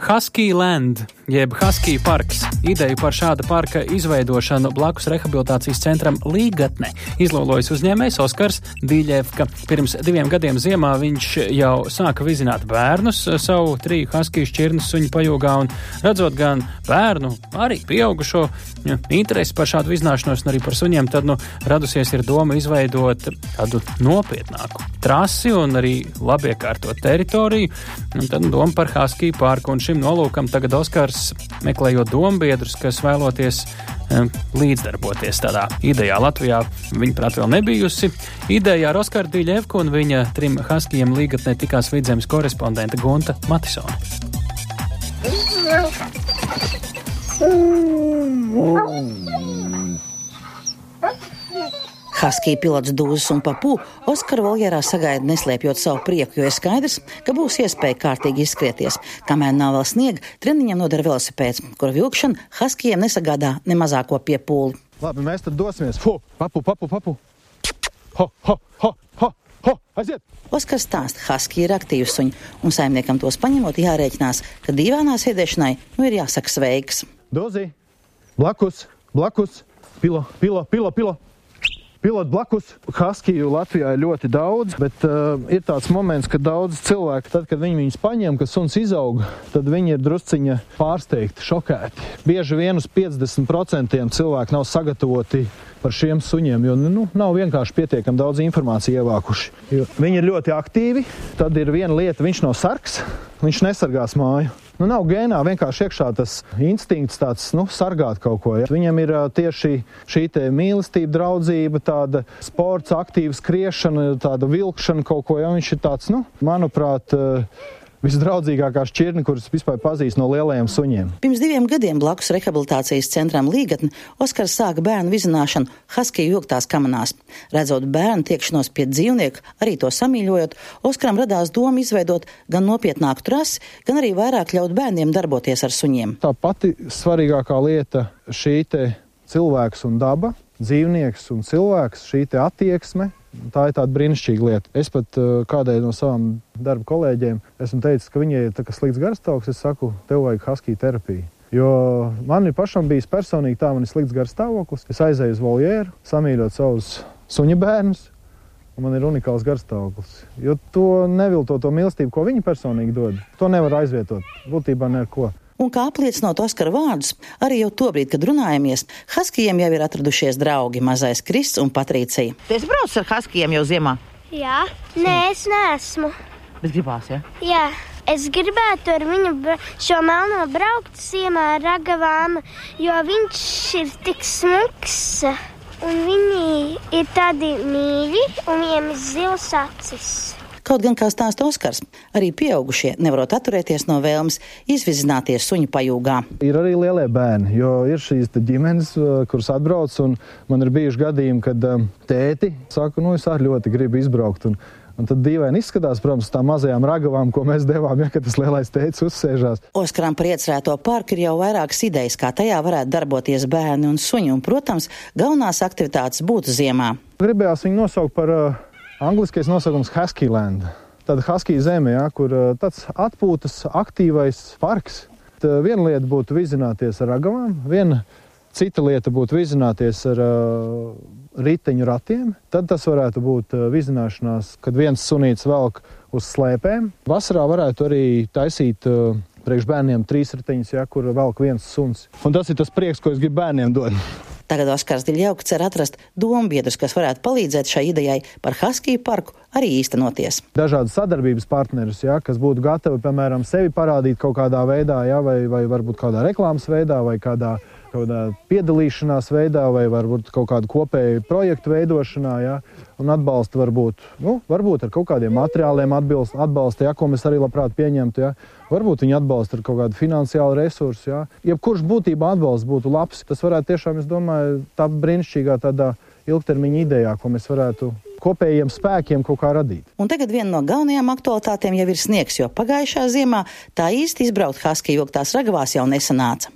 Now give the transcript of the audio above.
Husky Land, jeb Husky parks. Ideju par šāda parka izveidošanu blakus rehabilitācijas centram Līgatne izlolojas uzņēmējs Oskars Diļevka. Pirms 2 gadiem ziemā viņš jau sāka vizināt bērnus savu 3 husky šķirnu suņu pajūgā un redzot gan bērnu, arī pieaugušo interesi par šādu vizināšanos un arī par suņiem, tad radusies ir doma izveidot tādu nopietnāku trasi un arī labiekārtot teritoriju. Un tad doma par Husky parku. Un šim nolūkam tagad Oskars meklējot dombiedrus, kas vēloties līdzdarboties tādā idejā. Latvijā viņa prāt vēl nebijusi. Idejā ar Oskaru Diļevku un viņa 3 Huskyiem Līgatnē tikās Vidzemes korespondente Gunta Matisone. Husky pilots Dūzis un Papū Oskara voljērā sagaida neslēpjot savu prieku, jo ir skaidrs, ka būs iespēja kārtīgi izskrieties. Kamēr nav vēl sniega, treniņam noder velosipēds, kura vilkšana Huskyiem nesagādā ne mazāko piepūli. Labi, mēs tad dosimies. Papu. Ho, aiziet! Oskars stāsta, Husky ir aktīvi suņi, un saimniekam tos paņemot jārēķinās, ka dīvainā sēdēšanai ir jāsaka sveiks. Dozi, blakus, pilo. Pilot blakus. Huskyju Latvijā ir ļoti daudz, bet ir tāds moments, ka daudz cilvēku, tad, kad viņi viņus paņem, ka suns izaug, tad viņi ir drusciņa pārsteigti, šokēti. Bieži vien uz 50% cilvēki nav sagatavoti par šiem suņiem, jo nav vienkārši pietiekami daudz informāciju ievākuši. Viņi ir ļoti aktīvi, tad ir viena lieta, viņš nav sargs, viņš nesargās māju. Nav gēnā vienkārši iekšā tas instinkts tāds, sargāt kaut ko. Ja? Viņam ir tieši šī te mīlestība, draudzība, tāda sports, aktīva skriešana, tāda vilkšana kaut ko. Ja? Viņš ir tāds, manuprāt, visdraudzīgākā šķirne, kuras vispār pazīst no lielajiem suņiem. Pirms 2 gadiem blakus rehabilitācijas centram Līgatne Oskars sāka bērnu vizināšanu Husky vilktās kamanās. Redzot bērnu tiekšanos pie dzīvnieku, arī to samīļojot, Oskaram radās doma izveidot gan nopietnāku trasi, gan arī vairāk ļaut bērniem darboties ar suņiem. Tā pati svarīgākā lieta šī te cilvēks un daba, dzīvnieks un cilvēks, šī te attieksme. Tā ir tāda brīnišķīga lieta. Es pat kādai no savām darba kolēģiem esmu teicis, ka viņai ir tā kā slikts garstāvoklis, es saku, tev vajag Husky terapiju. Jo man ir pašam bijis personīgi tā, man ir slikts garstāvoklis. Es aizēju uz voljēru, samīļot savus suņa bērnus, un man ir unikāls garstāvoklis. Jo to nevilto to mīlestību, ko viņi personīgi dod, to nevar aizvietot. Būtībā neko. Un kā apliecinot Oskara vārdus, arī jau tobrīd, kad runājamies, Huskyiem jau ir atradušies draugi mazais Krists un Patricija. Tu esi braucis ar Huskyiem jau ziemā? Jā. Nē, es neesmu. Bet gribās, ja? Jā. Es gribētu ar viņu šo melno braukt ziemā ar ragavām, jo viņš ir tik smuks. Un viņi ir tādi mīļi un viņiem ir zilas acis. Kaut gan, kā stāsta Oskars, arī pieaugušie nevarot atturēties no vēlmes izvizināties suņu pajūgā. Ir arī lielie bērni, jo ir šīs ģimenes, kuras atbrauc, un man ir bijuši gadījumi, kad tēti saka, es arī ļoti gribu izbraukt. Un tad dīvaini izskatās, protams, tām mazajām ragavām, ko mēs devām, kad tas lielais tētis uzsēžās. Oskaram par iecerēto parku ir jau vairākas idejas, kā tajā varētu darboties bērni un suņi, un, protams, galvenās aktivitātes būtu ziemā. Gribējās viņu nosaukt par angliskais nosaukums Husky Land. Tad Husky zeme, kur tāds atpūtas aktīvais parks. Viena lieta būtu vizināties ar ragavām, viena cita lieta būtu vizināties ar riteņu ratiem. Tad tas varētu būt vizināšanās, kad viens sunīts velk uz slēpēm. Vasarā varētu arī taisīt priekš bērniem 3 riteņus, kur velk viens suns. Un tas ir tas prieks, ko es gribu bērniem dot. Tagad Oskars Diļevka cer atrast dombiedrus, kas varētu palīdzēt šai idejai par Husky parku arī īstenoties. Dažādas sadarbības partnerus, kas būtu gatavi, piemēram, sevi parādīt kaut kādā veidā, vai varbūt kādā reklāmas veidā, vai kādā piedalīšanās veidā, vai varbūt kaut kādu kopēju projektu veidošanā, un atbalsta varbūt ar kaut kādiem materiāliem atbalsta, ko mēs arī labprāt pieņemtu, Varbūt viņi atbalsta ar kaut kādu finansiālu resursu, Jebkurš būtībā atbalsts būtu labs. Tas varētu tiešām, es domāju, tā brīnišķīgā tādā ilgtermiņa idejā, ko mēs varētu kopējiem spēkiem kaut kā radīt. Un tagad viena no galvenajām aktualitātēm jau ir sniegs, jo pagājušā ziemā tā īsti izbraukt Husky vilktās ragavās jau nesanāca.